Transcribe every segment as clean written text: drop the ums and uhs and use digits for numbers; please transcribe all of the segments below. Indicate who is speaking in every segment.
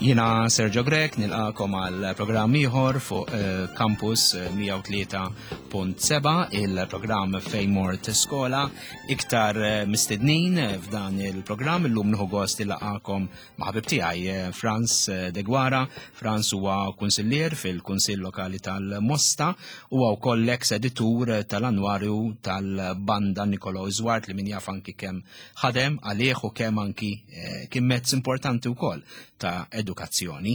Speaker 1: Jina Sergio Grek nilqakom għal programm ieħor fuq eh, Campus 103.7 il-programm fejn mort skola iktar eh, mistednin f'dan il-programm illum nieħu gost ilaqakom ma' ħabib tiegħi eh, Franz Deguara. Franz huwa kunsillier fil-Kunsill Lokali tal-Mosta huwa wkoll ex editur tal-annwarju tal-Banda Nikolo Zwart li min jaf anki kemm ħadem għalih u kemm anki eh, kien mezz importanti wkoll ta' edukazzjoni.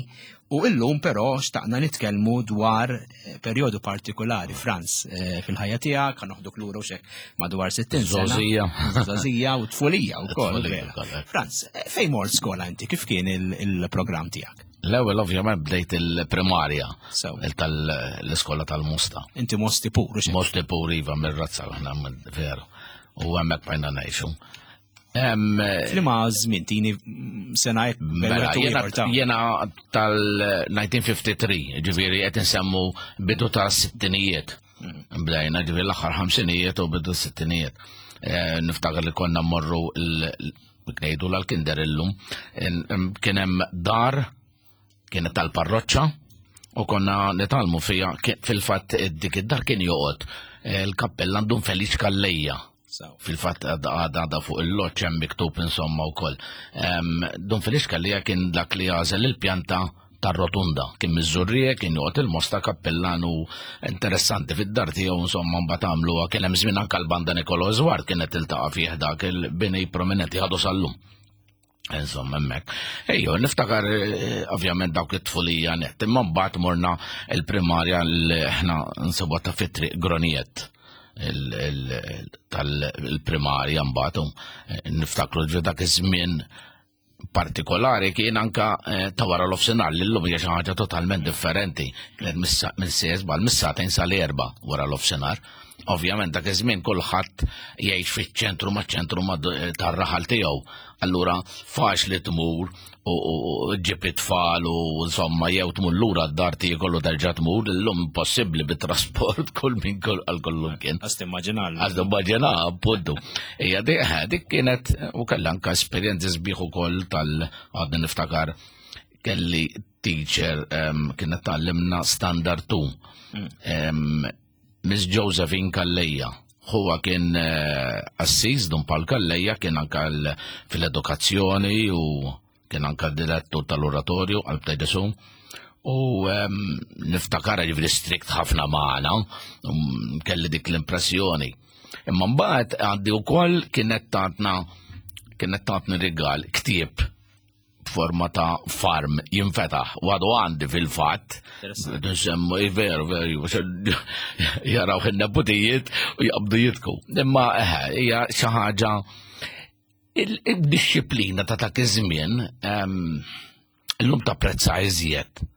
Speaker 1: U illum però xtaqna nitkellmu dwar eh, perjodu partikolari, Franz, eh, fil-ħajja tiegħek, ħa noħduk lura u xek madwar 60 sena.
Speaker 2: Żgħożija.
Speaker 1: Żgħożija u tfulija wkoll.
Speaker 2: Tfulija
Speaker 1: vera.
Speaker 2: wkoll, eh.
Speaker 1: Franz, fejn mort skola inti, kif kien il-programm tiegħek?
Speaker 2: L-ewwel ovvjament bdejt il-primarja
Speaker 1: Sew.
Speaker 2: tal-iskola tal-Mosta.
Speaker 1: Inti mosti puru xek.
Speaker 2: Mosti pur iva mir-razza aħna veru. U hemmhekk bajna ngħixu.
Speaker 1: Flima żmien tini sena hekk
Speaker 2: Mela,
Speaker 1: bejn
Speaker 2: jena,
Speaker 1: ieħor ta'
Speaker 2: jena tal-1953, ġifiri qed insemmu bidu ta' sittinijiet. Bdejna ġifiri l-aħħar ħamsinijiet u bidu sittinijiet. Eh, Niftakar li konna mmorru l-ngħidu l-kinder illum. Kien hemm dar kienet tal-parroċċa u konna nitalmu fija fil-fatt dik id-dar kien joqgħod eh, il-kappellan Dun Feliċ Kallejja. Fil-fatt għadha fuq il-loċ hemm miktub insomma wkoll. Dun Feliċ Kallejja kien dak li għażel il-pjanta tar-rotunda. Kien miż-Żurrieq, kien joqgħod il-Mosta kappellan u interessanti fid-dar tiegħu insomma mbagħad għamluha kien hemm żmien anke l-banda Nikolo Zwart kienet tiltaqa' fih dak il-bini prominenti għadu sal-lum. Insomma, hemmhekk. Ejju, niftakar eh, ovvjament dawk it-tfulija net, imma mbagħad morna il-primarja li aħna nsibuha ta' fit-triq Groniet tal-primarja mbagħad eh, niftakru ġo dak iż-żmien partikolari kien anka eh, ta' wara l-ofsinhar li llum hija xi ħaġa totalment differenti. Kienet mill-sesba l-missatejn sal-erba' wara l-ofsinhar. Ovvjament dak iż-żmien kulħadd jgħix fiċ-ċentru maċ-ċentru tar-raħal tiegħu. Allura faċli tmur u ġib it-tfal u insomma jew tmur lura d-dar tiekol u terġa' tmur, illum impossibbli bit-trasport kull min għal kollu kien.
Speaker 1: Għas timmaġina.
Speaker 2: Għas timmaġina, appuntu. Hija dik kienet u kellha anke esperjenzi sbieħ ukoll tal għadni niftakar kelli teacher kienet tgħallimna standard 2. Mm. Miss Josephine Calleja. Huwa kien eh, assis Dun Paul Calleja kien anka fil-edukazzjoni u kien anka direttur tal-oratorju għal Ġesu. U ehm, niftakar ġifri strikt ħafna magħna, um, kelli dik l-impressjoni. Imma mbagħad għandi wkoll kienet tatna kienet tatni rigal ktieb forma ta' farm jinfetaħ u għadu għandi fil-fatt. Nsemmu, eh, veru, veru, jaraw il-neputijiet u jaqbdu jitku. Imma eh, hija xi ħaġa il-disciplina ta' dak iż-żmien ehm, illum tapprezza iżjed.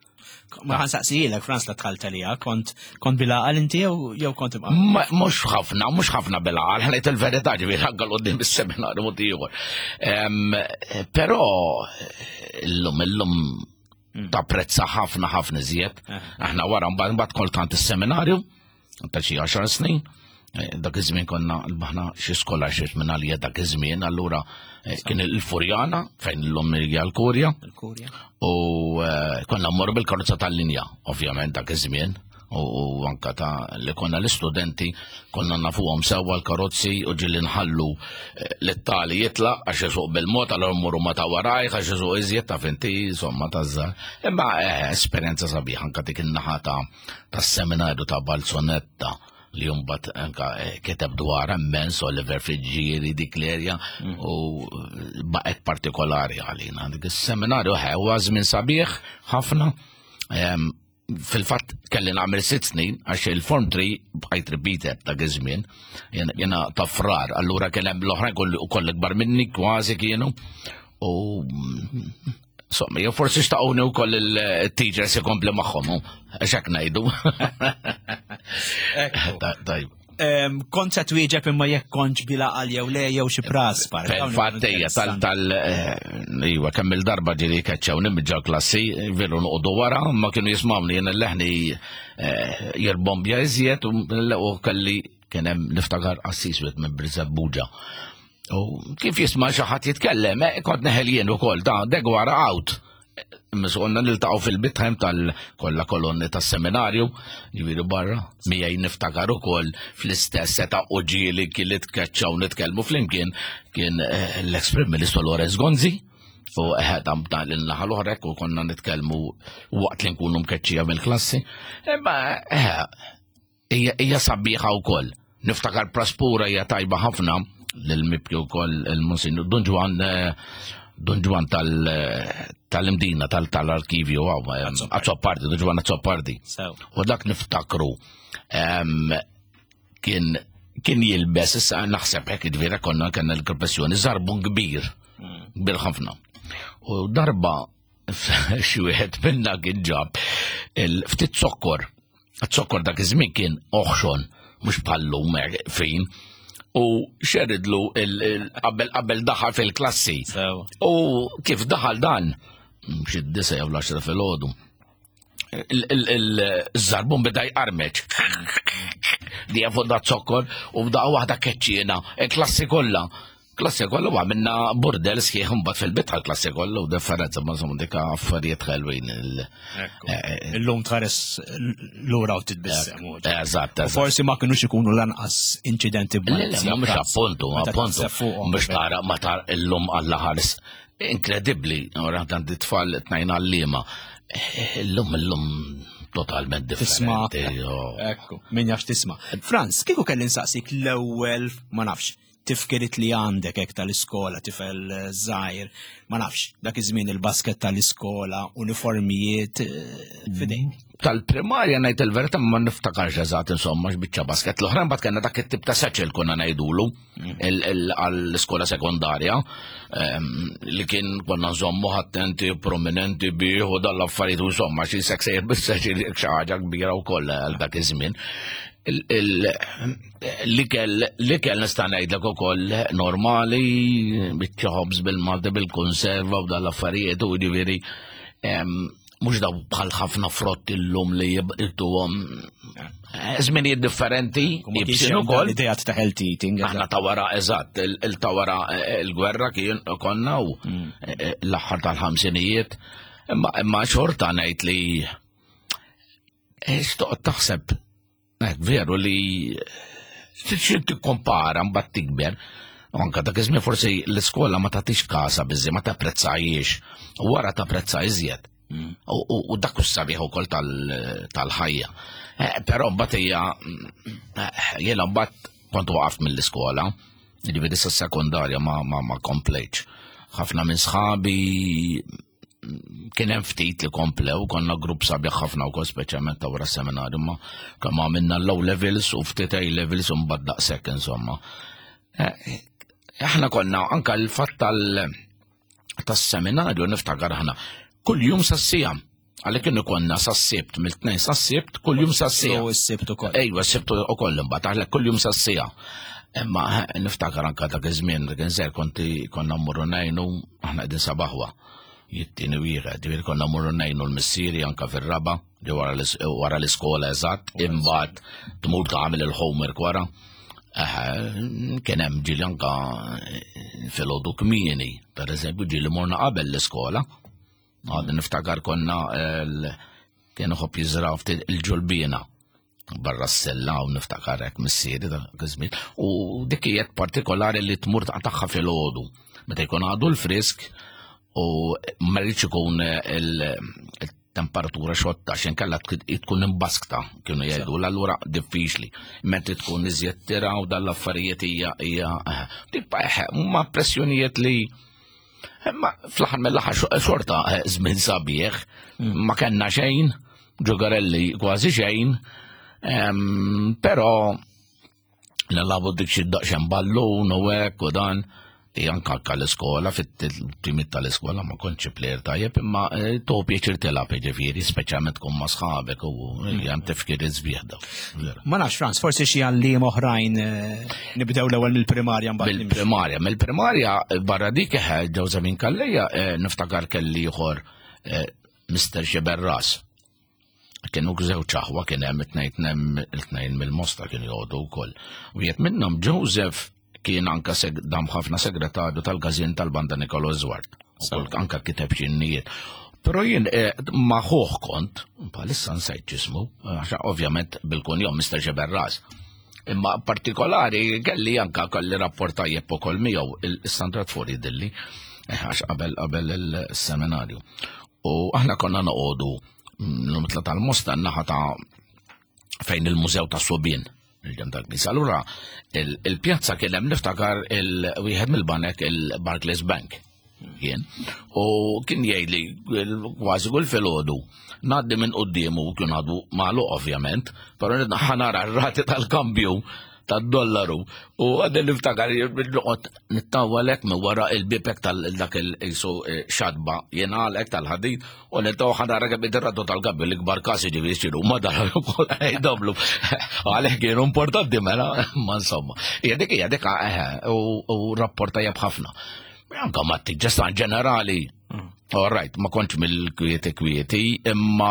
Speaker 1: Ma ħansaqsijilek, Franz, la tħalt għalija, kont kont bil-għaqal inti jew kont imqal?
Speaker 2: Mhux ħafna, mhux ħafna bil-għaqal, ħanejt il-verità ġifieri anke l-qudiem is-seminarju mod ieħor. Però illum illum mm. tapprezza ħafna ħafna iżjed. Eh. Aħna wara mbagħad kont is-seminarju, ta' xi 10 snin, eh, dak iż-żmien konna l-baħna xi scholarships minn għalija dak iż-żmien, allura eh, kien il-Furjana fejn illum hija l-Kurja. U eh, konna mmorru bil-karozza tal-linja, ovvjament dak iż-żmien u anka ta' li konna l-istudenti konna nafuhom sewwa l-karozzi u ġieli nħallu l-tali jitlaq għax isuq bil-mod għal mmorru ma ta' warajh għax isuq iżjed ta' finti insomma ta' żgħar. Imma esperjenza sabiħa anka dik in-naħa ta' tas-seminarju ta' Balzonetta li jumbat anka eh, kiteb dwar immens Oliver Fiġġieri dik l-erja mm. u eh, baqgħet partikolari għalina. Dik is-seminarju eh, huwa żmien sabiħ ħafna. Fil-fatt kelli nagħmel sitt snin għax il-form 3 bqajt repeated dak iż-żmien. Jiena ta' frar, allura kien hemm l-oħrajn koll ikbar minni kważi kienu. U Insomma, jew forsi xtaquni wkoll il-teachers ikompli magħhom, għax hekk ngħidu.
Speaker 1: Tajb. Kont se twieġeb imma jekk kontx bila għal jew le jew xi pras par.
Speaker 2: Fatt ejja tal tal eh, iva kemm il-darba ġieli keċċewni miġġa klassi, veru noqogħdu wara, ma kienu jismawni jien l-leħni eh, jirbombja iżjed u kelli kien hemm niftakar qassis wieħed minn Birżebbuġa. U kif jisma' xi ħadd jitkellem, eh, kont neħel jien ukoll ta' degwara out. Konna niltaqgħu fil-bitħem tal-kollha kolonni tas-seminarju, ġifieri barra, miegħi niftakar ukoll fl-istess seta' u ġieli kien li tkeċċaw nitkellmu flimkien kien eh, l-ex Prim Ministru Lorenz Gonzi u eh, dan dan l-naħa l-oħra u konna nitkellmu waqt li nkunu mkeċċija mill-klassi. Imma eh, hija sabiħa wkoll. Niftakar praspura hija tajba ħafna lil-mibki wkoll il-Monsinjur Dun Ġwan eh, Dun Ġwan tal-Imdina tal-arkivju għaw, eh, Azzopardi, Dun Ġwan Azzopardi. U dak niftakru kien kien jilbes, issa naħseb hekk ġifieri konna kellna l-professjoni żarbun kbir, hmm. kbir ħafna. U darba xi wieħed minna kien ġab il-ftit zokkor. Zokkor dak iż-żmien kien oħxon, mhux bħallum fin. U xeridlu qabel qabel daħal fil-klassi. U kif daħal dan, xi disa jew l-10 filgħodu. Il-żarbun beda jqarmeċ. Di fuq da zokkor u bda waħda keċċiena, il-klassi kollha. Klassi kollu għamilna burdel sħiħ mbagħad fil-bitħa l-klassi kollu differenza ma insomma dik affarijiet ħelwin. Eh,
Speaker 1: eh, Illum tħares lura u titbissem.
Speaker 2: Eżatt.
Speaker 1: Forsi ma kinux ikunu lanqas inċidenti
Speaker 2: b'malizja. Mhux appuntu, appuntu. Mhux tara ma tar illum alla ħares. Inkredibbli, ora dan tfal tnajn għallima. Eh, illum illum totalment
Speaker 1: differenti. Ekku, min jafx tisma. Franz, kieku kelli nsaqsik l-ewwel ma nafx tifkirit li għandek hekk tal-iskola, tifel eh, żgħir, ma nafx, dak iż-żmien il-basket tal-iskola, uniformijiet eh, fidejk.
Speaker 2: Tal-primarja ngħid il-verità ma niftakarx eżatt insomma x'biċċa basket. L-oħra mbagħad kellna dak it-tip ta' satchel konna ngħidulu mm. għall-iskola sekondarja ehm, li kien konna nżommu attenti, prominenti bih u dal-affarijiet insomma xi sek sejjer bis-satchel xi ħaġa kbira wkoll għal dak iż-żmien L-ikel, l-ikel nista' ngħidlek ukoll normali, biċċa ħobż bil-Malti bil-konserva u dal-affarijiet u ġifieri mhux daw bħal ħafna frott illum li jibqituhom eh, żminijiet differenti,
Speaker 1: jibsin ukoll. Idea ta' healthy eating.
Speaker 2: Aħna ta' wara eżatt, il-ta' wara eh, il-gwerra kien konna u mm. eh, l-aħħar tal-ħamsinijiet. Imma xorta ngħid li Xtoqgħod taħseb, veru li xi tikkompara mbagħad tikber, anka dak iż-żmien forsi l-iskola ma tagħtix kasa biżi, ma tapprezzajiex, u wara tapprezza iżjed. Mm. U dak sabiħ ukoll tal-ħajja. Eh, però mbagħad hija eh, jiena mbagħad kont waqaf mill-iskola, jiġifieri sa sekondarja ma ma komplejtx. Ħafna minn sħabi kien hemm ftit li komplew, konna grupp sabiħ ħafna wkoll speċjalment ta' wara seminarju ma kemm għamilna low levels u ftit A levels u mbagħad daqshekk insomma. Eh, aħna konna anka l-fatt tal tas-seminarju niftakar aħna kull jum sassija. Għalhekk kienu konna sas-sibt, mill-tnejn sas-sibt, kull jum sas-sija.
Speaker 1: U s-sibt ukoll.
Speaker 2: Ejwa, s-sibt ukoll imbagħad, għalhekk kull jum sas-sija. Imma eh, niftakar anka dak iż-żmien kien żgħir konti konna mmorru ngħinu aħna qegħdin sabaħwa. Jittini wieħed, ġifieri konna mmorru ngħinu l-missieri anka fir-raba, li wara l-iskola eżatt, imbagħad tmur tagħmel il-homework wara. Kien hemm ġieli anka eh, filgħodu kmieni, pereżempju ġieli morna qabel l-iskola. Għadni niftakar konna kien iħobb jiżra ftit il-ġulbina barra s-sella u niftakar hekk missieri dak iż-żmien. U dik hija partikolari li tmur taqtagħha filgħodu. Meta jkun għadu l-frisk u ma rridx ikun il-temperatura xotta x'in kella tkun imbaskta kienu jgħidu allura diffiċli. Mentri tkun iżjed tira u dal-affarijiet hija hija eh, eh, ma pressjonijiet li Imma fl-aħħar mill-aħħar xorta eh, żmien sabiħ, mm. ma kellna xejn, ġugarelli kważi xejn, però nilagħbu dik xi daqsxejn ballun u hekk u dan. Anka anka l-iskola, fit-timit tal-iskola ma kontx plejer tajjeb, imma eh, to pjaċir tilgħab jiġifieri, speċjalment tkun ma' sħabek u mm. hemm tifkir iżbieħ daw.
Speaker 1: Ma nafx Franz, forsi xi għalliem oħrajn eh, Nibdew l-ewwel mill-primarja
Speaker 2: mbagħad. Mill-primarja, mill-primarja barra dik eh, ġewża minn Kalleja eh, niftakar kelli ieħor eh, Mr. Xiberras. Kienu żewġ aħwa kien hemm it-tnejn hemm it-tnejn mill-Mosta kienu joqogħdu wkoll. Wieħed minnhom Joseph kien anka dam ħafna segretarju tal-każin tal-Banda Nikolo Zwart. Ukoll anka kiteb xi innijiet. Però jien eh, ma ħuh kont, bħalissa nsajt ġismu, għax ovvjament bil-kunjom Mr. Ġeberras. Imma partikolari kelli anka kelli rapport tajjeb ukoll miegħu il-Sandra Tfori dilli eh, għax qabel qabel il-seminarju. U aħna konna noqogħdu mm, l-mitla tal-Mosta naħa ta' fejn il-Mużew ta' Sobien il-ġem tal-Knisja. Allura il-pjazza kien hemm niftakar il-wieħed mill-banek il-Barclays Bank kien. U kien jgħidli kważi kull filgħodu ngħaddi minn quddiemu kien għadu magħluq ovvjament, però ħanara r-rati tal-kambju tad-dollaru u għadni niftakar noqgħod nittawwalek minn wara il-bibek tal-dak il-isu eh, xadba jingħalek tal-ħadid u nittaw ħanara kemm id-ratu tal-kambju l-ikbar kasi ġifieri x'inhu ma dar ukoll jdobblu. Għalhekk kienu importanti mela, ma insomma. Hija dik hija dik eh, u rapport tajjeb ħafna. Anka ma t-ġesta ġenerali mm. All right, ma kontx mill-kwieti kwieti, imma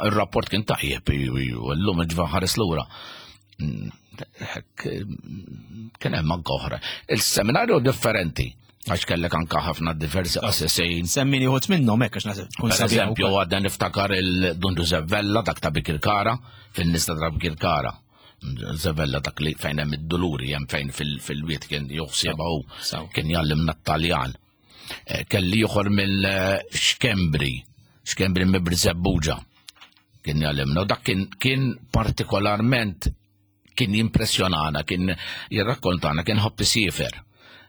Speaker 2: il-rapport kien tajjeb, l-lum ġva ħares lura. Mm, kien hemm anke oħra. Il-seminarju differenti għax kellek anka ħafna diversi qassisin.
Speaker 1: Semmini uħut minnhom hekk għax naħseb
Speaker 2: tkun Per eżempju, għadna niftakar il-Dun Giuseppe Vella dak ta' Bikirkara, fin-nista ta' Bikirkara. Zevella dak li fejn hemm id-duluri hemm fejn fil-wiet kien joħsiebha hu kien jgħallimna t-Taljan. Eh, kelli ieħor mill-Xkembri, Xkembri mibri Zebbuġa kien jgħallimna. U dak kien partikolarment kien jimpressjonana, kien jirrakkontana, kien ħobb isifer.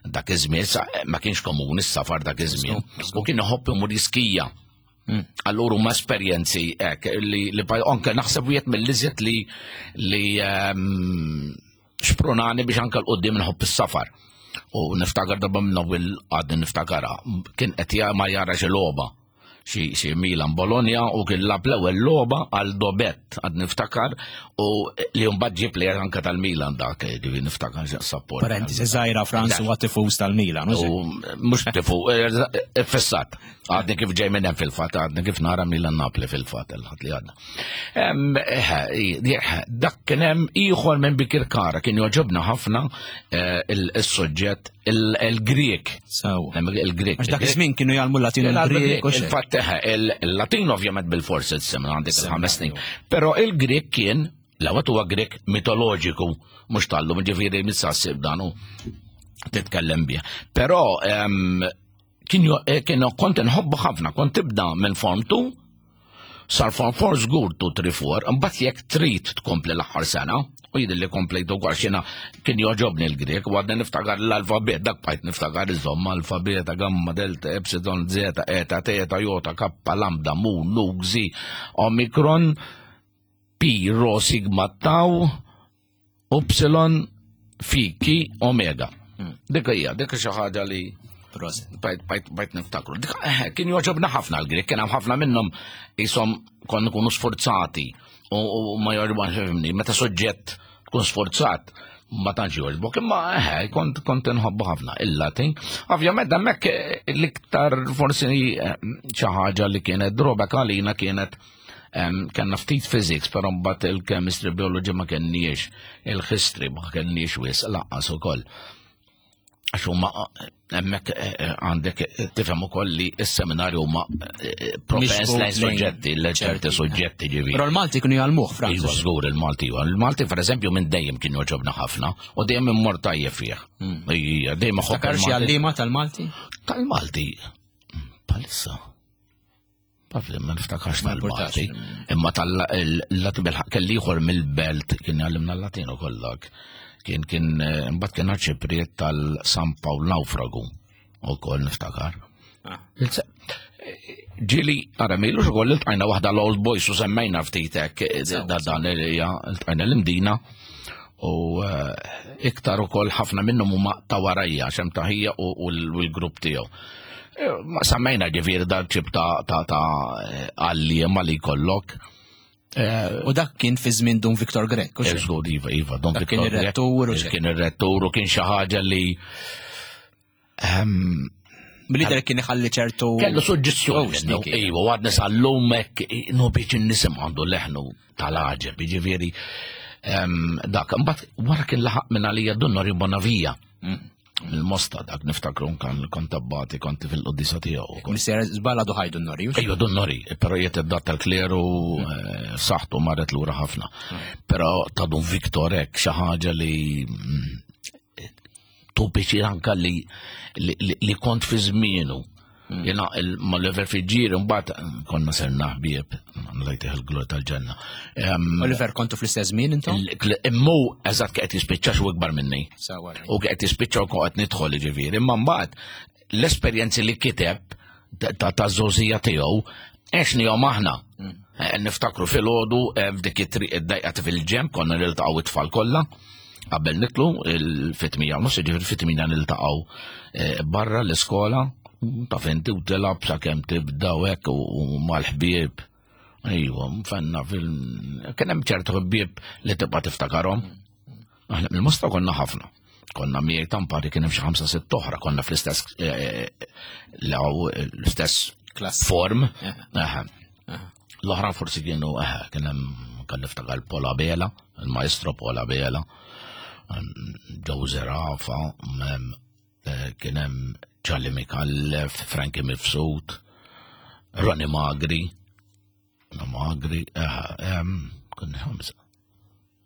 Speaker 2: Dak iż-żmien ma kienx komuni s-safar dak iż-żmien. U kien iħobb imur jiskija. Mm. Allura huma esperjenzi hekk li, li anke naħseb wieħed mill-iżjed li li um, xprunani biex anke l-qoddim nħobb is-safar. U niftakar darba minn ewwel għadni niftakarha, kien qed ma jara xi logħba xi Milan Bologna u kien lab l-ewwel logħba għal Dobet għad niftakar u li mbagħad ġie plejer anke tal-Milan dak ġifi niftakar
Speaker 1: support. Parentesi żgħira Franz huwa tifuż tal-Milan.
Speaker 2: U mhux tifu, eh, eh, fissat. Għadni kif ġej minn hemm fil-fatt, għadni kif nara Milan Napli fil-fatt il-ħadd li għadna. Eh, dak kien hemm ieħor minn Bikirkara kien joġobna ħafna eh, il-suġġett il-Grek.
Speaker 1: Il-Grek. Għax dak iż-żmien kienu jgħallmu l-Latin u l-Grek.
Speaker 2: Il-fatt eh, il-Latin ovvjament bil-forsi s-semna għandek il-ħames snin. Però il-Grek kien l-ewwel huwa Grek mitoloġiku, mhux tal-lum ġifieri missasib dan titkellem bih. Però kien eh, kien kont inħobbu ħafna, kont tibda minn form 2 sar form 4 żgur 2 3 4, imbagħad jekk trid tkompli l-aħħar sena, u jidher li komplejtu wkoll xina kien joġobni l-Grek, u għadni niftakar l-alfabet, dak bqajt niftakar iżomm alfabeta, gamma, delta, epsilon, zeta, eta, teta, jota, kappa, lambda, mu, nu, gzi, omikron, pi, rho, sigma, tau, Upsilon Phi Ki Omega. Hmm. Dik hija, dik xi ħaġa li bajt niftakru. Dik eh, kien joġobna ħafna l-Grek, kien hemm ħafna minnhom isom kon nkunu sforzati u ma jogħġobna fimni, meta soġġett tkun sforzat ma tantx jogħġbok, imma eh, kont kont inħobbu ħafna il-Latin. Ovvjament hemmhekk eh, l-iktar forsi xi ħaġa li kienet drobek għalina kienet Kenna ftit physics, però mbagħad il-chemistry, biology ma kenniex, il-history ma kenniex wis laqqas ukoll. Għax huma hemmhekk eh, eh, għandek eh, tifhem ukoll li s-seminarju huma propens lejn suġġetti, ċerti suġġetti ġivi.
Speaker 1: Però l-Malti kienu jgħallmuh, Franz.
Speaker 2: Iva, żgur il-Malti iva. Il-Malti pereżempju minn dejjem kien joġobna ħafna u dejjem immor tajjeb fih. Hmm.
Speaker 1: Ija, dejjem ħobb. Takar xi għalliema tal-Malti?
Speaker 2: Tal-Malti. Palissa. Taf li ma niftakarx tal-Malti. Imma tal-Latin bil-ħaq kelli ieħor mill-belt kien jgħallimna l-Latin ukoll dak. Kien kien eh, imbagħad kien arċipriet tal-San Pawl Naufragu ukoll niftakar. Ah. Ġili, ara milu ukoll iltqajna waħda l-Old Boys u semmejna ftit hekk eh, dan hija iltqajna l-Imdina u eh, iktar ukoll ħafna minnhom huma ta' warajja xem taħija u l-grupp tiegħu. Eh, ma semmejna ġifieri dan ċib ta' ta' ta' għalliema li jkollok.
Speaker 1: Eh, u dak kien fi żmien Dun Victor Grek.
Speaker 2: Żgur, iva, iva,
Speaker 1: Dun Victor Kien ir-rettur.
Speaker 2: Kien ir-rettur u kien xi ħaġa li
Speaker 1: ehm, Mill-lider kien iħalli ċertu.
Speaker 2: Kellu suġġizzjoni. Oh, iva, u għadni sal-lum hekk no biex nisim għandu leħnu tal-għaġeb, jiġifieri ehm, dak. Mbagħad wara kien laħaq minn għalija Dun Norio Bonavija. Mm. Il-Mosta dak niftakru kan kont abbati kont fil-qoddisa tiegħu.
Speaker 1: Mister żballa duħaj Dun Nori.
Speaker 2: Ejju Dun Nori, però jiet id-dat tal-kleru eh, saħtu marret lura ħafna. Però ta' Dun Viktor hekk xi ħaġa li mm, tu anka li li kont fi żmienu. Mm. Jena ma l-level fiġġieri mbagħad konna serna ħbieb, lajtih il-glor tal-ġenna.
Speaker 1: Oliver kontu fl-istess żmien intom?
Speaker 2: Immu eżatt qed jispiċċa xu ikbar minni. U qed jispiċċa u qed nidħol ġifieri, imma mbagħad l-esperjenzi li kiteb ta' żożija tiegħu għexnihom aħna. Mm. Eh, niftakru fil-ħodu eh, f'dik it-triq id-dajqa fil-ġemp konna niltaqgħu it-tfal kollha qabel nitlu il-fitmija u nofs ġifieri fit-tmija niltaqgħu eh, barra l-iskola ta' inti u tilab sakemm tibda u hekk u mal-ħbieb. Ejwa, mfenna fil kien hemm ċertu ħbieb li tibqa' tiftakarhom. Aħna mill-Mosta konna ħafna. Konna miegħi tampari kien hemm xi ħamsa sitt oħra, konna fl-istess eh, l-istess form. L-oħra forsi kienu kien hemm kan niftakar Pola Bela, il-maestro Pola Bela, Joe Zerafa, eh, kien hemm Charlie Mikallef, Frankie Mifsud, Ronnie Magri, Magri, eh, kien ħamsa.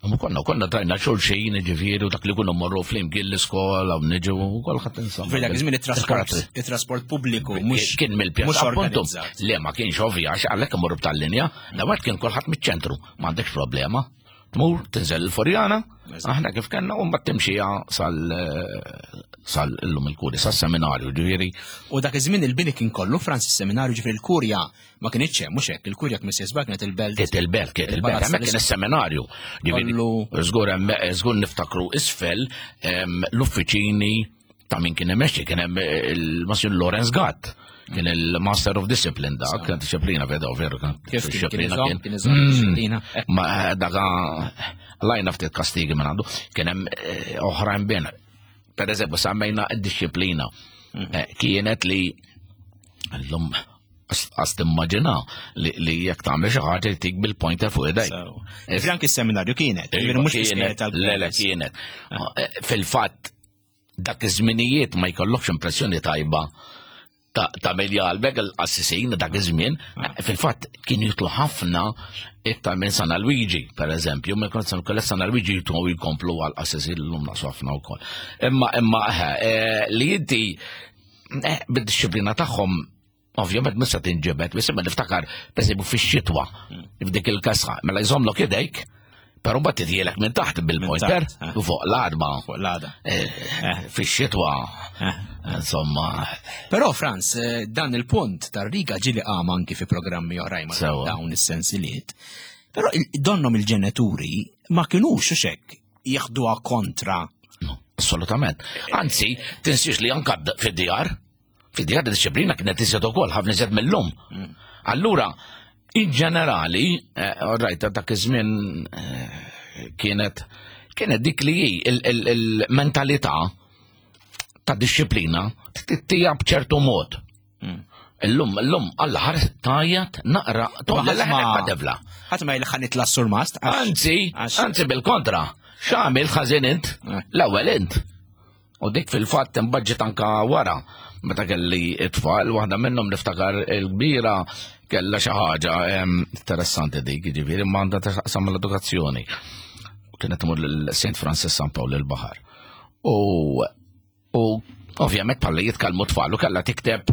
Speaker 2: Ma konna, konna trajna xulxin, ġifieri, u dak li kunu morru flimkien l-iskola u niġu u kolħat insomma.
Speaker 1: Fil dak iż-żmien it-trasport, it-trasport pubbliku mhux
Speaker 2: kien mill-pjazza appuntu. Le ma kienx ovvja għax għalhekk imorru b'tal-linja, l-ewwel kien kulħadd miċ-ċentru, m'għandekx problema. Tmur, tinżel il-Furjana, aħna kif kellna u mbagħad timxija sal sal illum il-kuri, sas-seminarju, ġifieri.
Speaker 1: U dak iż-żmien il-bini kien kollu Franz is-seminarju ġifieri l-kurja Ma kienx hemm, mhux hekk, il-kurja kien sejsbar kienet il-belt.
Speaker 2: Kienet il-belt, kienet il-belt, hemmhekk kien is-seminarju. Żgur hemm żgur niftakru isfel l-uffiċini ta' min kien imexxi kien hemm il-Masjun Lorenz Gatt kien il-Master of Discipline dak, kien disciplina vedo veru
Speaker 1: kien disciplina kien. Mm.
Speaker 2: Ma eh, daka lajna ftit kastigi minn għandu, kien hemm eh, oħrajn bin. Per eżempju, semmejna d-disciplina. Mm. Eh, kienet li l-lum Għas timmaġina li jekk tagħmel xi ħaġa jtik bil-pointer fuq idejk.
Speaker 1: Eh, anki s-seminarju kienet,
Speaker 2: iva, mhux kienet, le le kienet. Ah. Eh, fil-fatt dak iż-żminijiet ma jkollokx impressjoni tajba ta' min jgħalbek il-qassisin dak iż-żmien, ah. fil-fatt kien jitlu ħafna iktar minn San Luigi, per eżempju, minn kont San San Luigi jitlu jkomplu għal qassisin l-lum naqsu ħafna wkoll. Imma imma eh, li inti bid-disciplina tagħhom ovvjament mista tinġibed, biss imma niftakar pereżempju fix-xitwa f'dik il-kasħa, mela jżommlok idejk, però mbagħad titjielek minn taħt bil-pointer eh. u fuq l-għadma.
Speaker 1: Fuq l-għada.
Speaker 2: Eh, eh. Fix-xitwa, insomma.
Speaker 1: Però Franz, dan il-punt tar-riga ġili qam anki fi programmi oħrajn ma' dawn is-sensiliet. Però donnom il-ġenituri ma kinux xek jieħduha kontra.
Speaker 2: No, assolutament. Anzi, tinsiex li anka fid-djar, fid-djar disċiplina kienet iżjed ukoll ħafna iżjed mill-lum. Mm. Allura, in ġenerali, eh, rajta dak iż-żmien eh, kienet kienet dik li hi il-mentalità ta' disċiplina tittija b'ċertu mod. Mm. Illum, illum, alla ħares tajjat naqra,
Speaker 1: tolli ma devla. Ħadd ma jilħan nitla surmast.
Speaker 2: Anzi, anzi bil-kontra, x'għamil ħażin int, eh. l-ewwel int. U dik fil-fatt imbaġġet anka wara, meta kelli it-tfal, waħda minnhom niftakar il-kbira kella xi ħaġa interessanti dik, jiġifieri ma għandha taqsam l-edukazzjoni. Kienet tmur lil St. Francis San Pawl il-Baħar. U U ovvjament bħalli jitkellmu tfal u kellha tikteb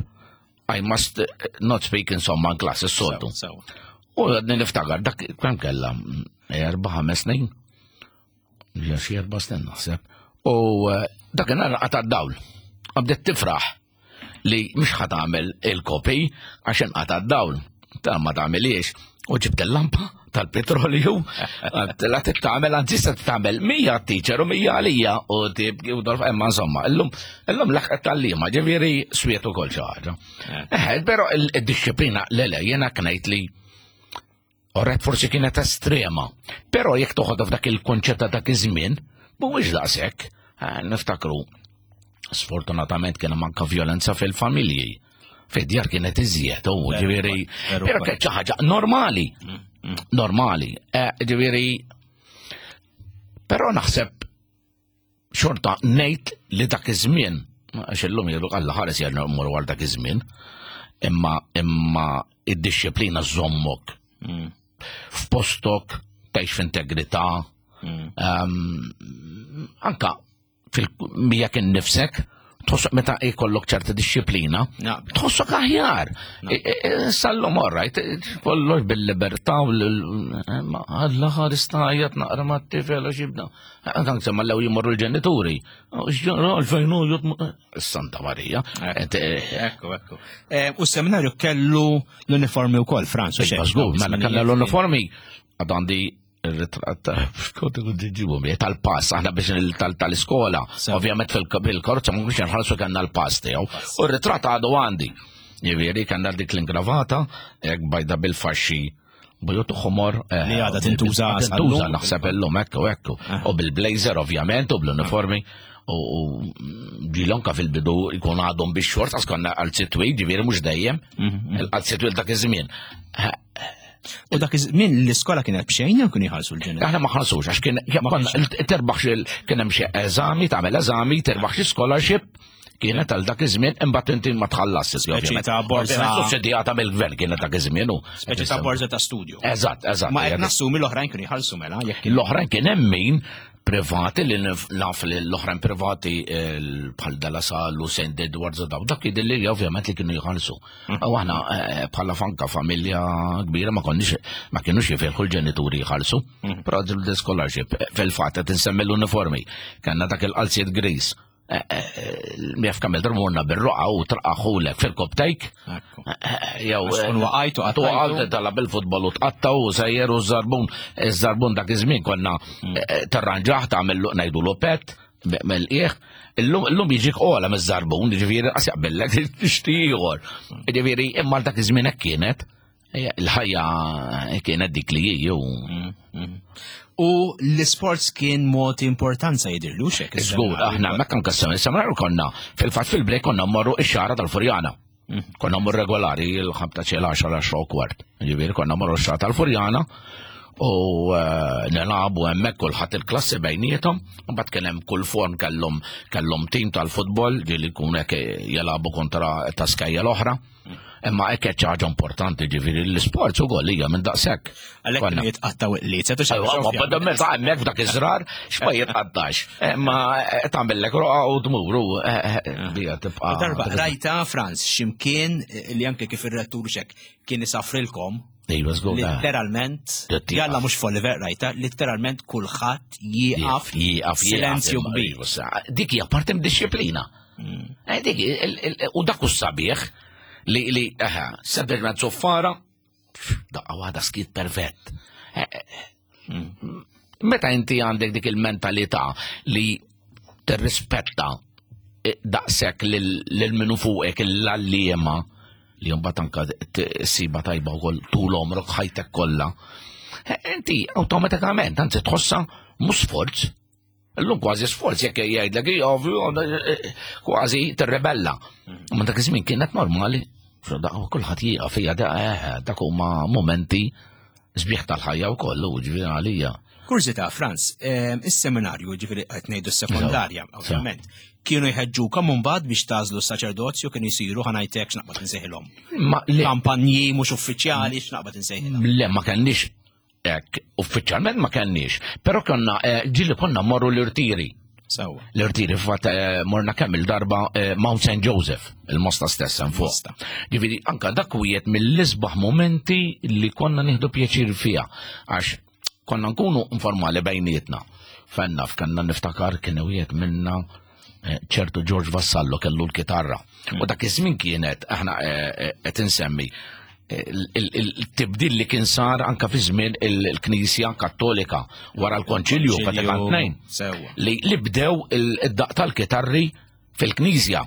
Speaker 2: I must not speak insomma in class is-soltu. U għadni niftakar dak kemm kellha erba' ħames snin. Ja xi erba' snin naħseb. U eh, dak inhar qata' d-dawl. Qabdet tifraħ li mhux ħa tagħmel il-kopi għax inqata' d-dawl. Ta' ma tagħmiliex. U ġibt il-lampa tal-petrolju, la tagħmel anzi se tagħmel mija teacher u mija għalija u tibki u dolf imma insomma, illum illum laħqet tal-liema, ġifieri swiet ukoll xi ħaġa. Eh. eh, però il-disciplina le le jiena knejt li Orret forsi kienet estrema, però jekk toħodha f'dak il-konċett ta' dak iż-żmien, mhuwiex daqshekk. Eh, niftakru, sfortunatament kien hemm anke violenza fil-familji. Fid-djar kienet iżjed, u ġifieri, però kienet xi ħaġa normali. Mm, mm. Normali. Eh, ġifieri, però naħseb Xorta ngħid li dak iż-żmien, għax illum jgħidu Alla ħares jgħid mmorru għal dak iż-żmien, imma imma id-dixxiplina żommok f'postok, tgħix f'integrità, anka fil-miegħek innifsek, tħossok meta jkollok ċerta dixxiplina, tħossok aħjar. Sallum orrajt, kollox bil-libertà u Alla ħares tajjat naqra ma' t-tifel u xibda. Anke semma l jimorru l-ġenituri. Għalfejn u Santa Marija.
Speaker 1: Ekku, ekku. U s-seminarju kellu l-uniformi u koll, Franz.
Speaker 2: Żgur, mela kellna l-uniformi għad għandi il-ritratt kont ikun ġiġibu tal-pass, aħna biex tal-iskola, ovvjament fil-karozza ma biex nħallsu kellna l-pass tiegħu. U r-ritratt għadu għandi. Jiġifieri kellna dik l-ingravata, hekk bajda bil-faxxi bujut ħomor.
Speaker 1: Eh, li għadha tintuża.
Speaker 2: Tintuża naħseb illum ekku ekku. Eh. U bil-blazer ovvjament u bl-uniformi. U ġilonka fil-bidu jkun għadhom bix xort għax konna għal sitwi, ġifieri mhux dejjem, mhm, mhm. għal sitwi dak iż-żmien. Eh,
Speaker 1: U dak iż-żmien l-iskola kienet b'xejn jew kienu jħallsu l-ġenituri?
Speaker 2: Aħna ma ħallsux għax kien terbaħ kien hemm xi eżami, tagħmel eżami, terbaħ xi scholarship kienet għal dak iż-żmien imbagħad inti ma tħallas
Speaker 1: Speċi ta' borza.
Speaker 2: Sussidjata mill-gvern kienet dak iż-żmien u.
Speaker 1: Speċi ta' borza ta' studju.
Speaker 2: Eżatt, eżatt.
Speaker 1: Ma qed nassumi l-oħrajn kienu jħallsu mela
Speaker 2: jekk. L-oħrajn kien hemm min privati li naf li l-oħrajn privati eh, bħal Della Salle u St. Edwards u daw, dak jidilli li ovvjament li kienu jħallsu. U aħna eh, bħala fanka familja kbira ma konniex ma kienux jifilħu l-ġenituri jħallsu. Mm. Però l-scholarship eh, fil-fatt qed insemmi l-uniformi. Kellna dak il-qalziet gris. Mjaf kamil darmurna bil-roqa u traqaħulek fil-koptejk.
Speaker 1: Jew waqajt u
Speaker 2: qattajtu. Tala bil-futbol u tqatta u sejjer u żarbun. Iż-żarbun dak iż-żmien konna mm. eh, tarranġaħ tagħmel ngħidu lopet mill-qiegħ. Illum jiġik ola miż-żarbun, ġifieri qas jaqbillek tixtri ieħor. Ġifieri imma dak iż-żmien hekk kienet. Il-ħajja kienet dik li hi. Mm,
Speaker 1: mm. U l-sports kien mod importanza jidirlu xek.
Speaker 2: Żgur, aħna mekka nkassam, is-samrar konna fil-fatt fil-break konna mmorru ix-xara tal-Furjana. Mm. Konna mmorru regolari l-ħabta xi l-10 10 u kwart. Ġifieri konna mmorru x-xara tal-Furjana u eh, nilagħbu hemmhekk kulħadd il-klassi bejniethom, mbagħad kien hemm kull form kellhom kellhom tim tal-futbol ġieli jkun hekk jilagħbu kontra ta' skajja l-oħra. Imma hekk qed ħaġa importanti ġifieri l-isports ukoll hija minn daqshekk.
Speaker 1: Għalhekk kienu jitqattaw il-qliet.
Speaker 2: Ma meta hemmhekk f'dak iż-żrar x'ma jitqattax. Imma eh, tagħmellek roqa u tmur u eh, eh, bija tibqa'.
Speaker 1: Darba rajta Franz x'imkien li anke kif ir-rettur xek kien isafrilkom
Speaker 2: Iva, żgur.
Speaker 1: Literalment, jalla mhux f'Oliver rajta, literalment kulħadd jieqaf
Speaker 2: jieqaf
Speaker 1: silenzju kbir.
Speaker 2: Dik hija parti mid-disciplina. Mm. Eh, u dak sabiħ li li eħe, sebber zoffara, daqqa waħda skit perfett. Eh, eh, mm. Meta inti għandek dik il-mentalità li tirrispetta daqshekk lil minu fuqek l-għalliema li mbagħad anka siba tajba wkoll tul omrok ħajtek kollha. Inti awtomatikament anzi tħossha mhux sforz, Illum kważi sforz jekk jgħidlek ovvju kważi tirrebella. Mm. Ma dak iż-żmien kienet normali. Kulħadd jieqaf hija eh, dak huma momenti sbieħ tal-ħajja wkoll u ġifieri għalija.
Speaker 1: Kurżità, Franz, eh, is-seminarju, ġifieri qed ngħidu s-sekondarja, ovvjament, kienu jħeġġukom mbagħad biex tażlu s-saċerdozju kienu jsiru ħanajtek x'naqbad insejħilhom. Kampanji mhux uffiċjali x'naqbad insejħilhom.
Speaker 2: Le ma kenniex Ek, uffiċjalment ma kenniex, però konna eh, ġili konna morru l-irtiri.
Speaker 1: Sewa.
Speaker 2: L-irtiri fatt eh, morna kemm il-darba eh, Mount St. Joseph, il-mosta stessa fuq. Ġifieri anka dak wieħed mill-isbaħ momenti li konna nieħdu pjaċir fiha għax konna nkunu informali bejnietna. Fenna f'kanna niftakar kien wieħed minna ċertu George Vassallo kellu l-kitarra. U dak iż-żmien kienet aħna eh, eh, qed insemmi il-tibdil li kien sar anka fi żmien il-Knisja Kattolika wara l-Konċilju Vatikan II li li bdew id-daq tal-kitarri fil-Knisja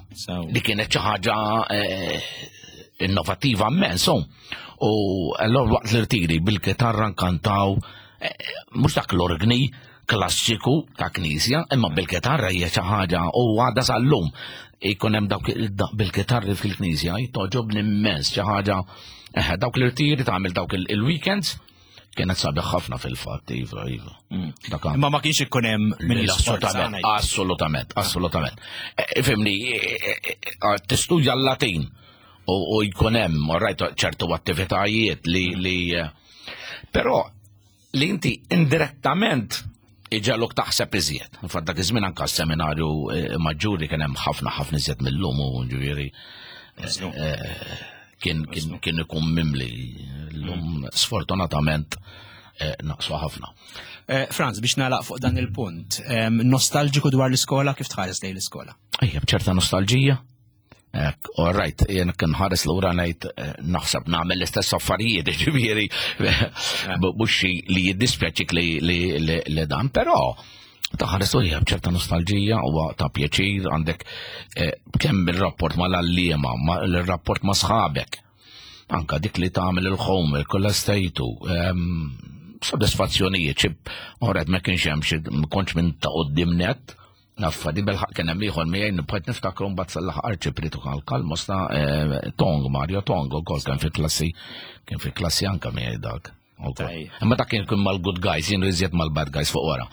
Speaker 2: li kienet xi ħaġa eh, innovattiva immens. U allora waqt l-irtiri bil-kitarra nkantaw mhux dak l-orgni klassiku ta' knisja, imma bil-kitarra hija xi ħaġa u għadha sal-lum ikun hemm dawk bil-kitarri fil-knisja jtoġobni immens xi ħaġa eh, dawk l-irtiri tagħmel dawk il-weekends. Kienet sabiħ ħafna fil-fatt, iva, iva.
Speaker 1: Imma ma kienx ikun hemm
Speaker 2: min Assolutament, assolutament, assolutament. E, fimni, e, e, tistudja l-Latin u jkun hemm, rajt ċertu attivitajiet li li però li inti indirettament iġaluk taħseb iżjed. Infatti dak iż-żmien anke s-seminarju eh, maġġuri kien hemm ħafna ħafna iżjed mill-lum u ġifieri eh, eh, kien kien ikun mimli l-lum sfortunatament naqsu ħafna.
Speaker 1: Franz, biex nagħlaq fuq dan il-punt, nostalġiku dwar l-iskola kif tħares lejn l-iskola?
Speaker 2: Ejja, b'ċerta nostalġija. Ek, all right, jien kien ħares lura ngħid eh, naħseb nagħmel l-istess affarijiet, ġifieri mhux xi li jiddispjaċik li dan, però taħares lura b'ċerta nostalġija huwa ta' pjaċir għandek eh, kemm il-rapport mal-għalliema, il-rapport ma' sħabek, anka dik li tagħmel il-homework, kollha stejtu, ehm, sodisfazzjonijiet, xi all ma kienx hemm xi kontx minn ta' qudiem net, Naffa, di belħaq kien hemm ieħor miegħi nibqgħet niftakru mbagħad sal-aħħar arċipritu għal mosta eh, Tong, Mario Tong ukoll kien fi klassi, kien fi klassi anka miegħi dak. Imma dak kien mal-good guys, jien iżjed mal-bad guys fuq wara.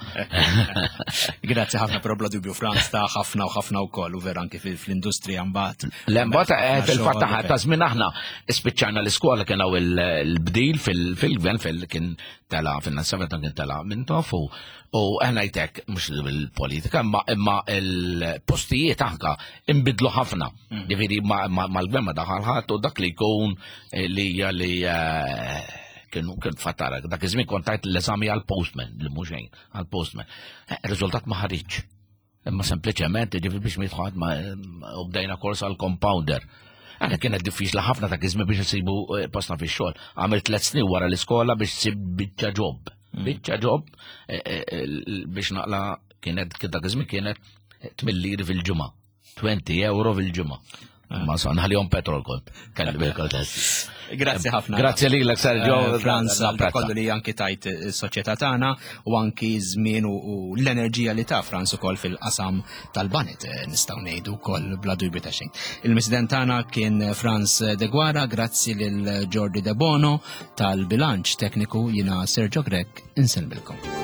Speaker 1: Grazzi ħafna però bla dubju Franz ta' ħafna u ħafna wkoll u vera anki fl-industrija mbagħad.
Speaker 2: Le mbagħad eh, fil-fatt ta' żmien aħna spiċċajna l-iskola kien hawn il-bdil fil-gvern fil-kien tela fin-97 kien tela minn tofu U ngħidlek, mhux il-politika, imma imma il-postijiet anka imbidlu ħafna. Mm. Ġifieri mal-gvern ma daħal ħadd u dak li jkun eh, li li eh, kienu kien fatara, dak iż-żmien kont tajt l-eżami għal-postman, li mhux xejn, għal-postman. Eh, riżultat ma ħariġ. Imma sempliċement ġifieri biex mitħad ma u bdejna kors għal-compounder. Għana kienet diffiċli ħafna ta' iż biex nsibu postna fix-xogħol. Għamilt tliet snin wara l-iskola biex sib biċċa ġob. Mm. Biċċa ġob eh, eh, eh, biex naqla kienet dak iż-żmien kienet 8 liri fil-ġimgħa. 20 euro fil-ġimgħa. Ah. Ma sa nħallihom petrol kont. Kelli bil
Speaker 1: Grazzi ħafna.
Speaker 2: Grazzi lilek Sergio.
Speaker 1: Franz, kollu li anki tajt is-soċjetà tagħna u anki żmien u l-enerġija li ta' Franz ukoll fil-qasam tal-banet nistgħu ngħidu wkoll bla dubju ta' xejn. Il-President tagħna kien Franz Deguara, grazzi lil Jordi De Bono tal-bilanċ tekniku jina Sergio Grech insellmilkom.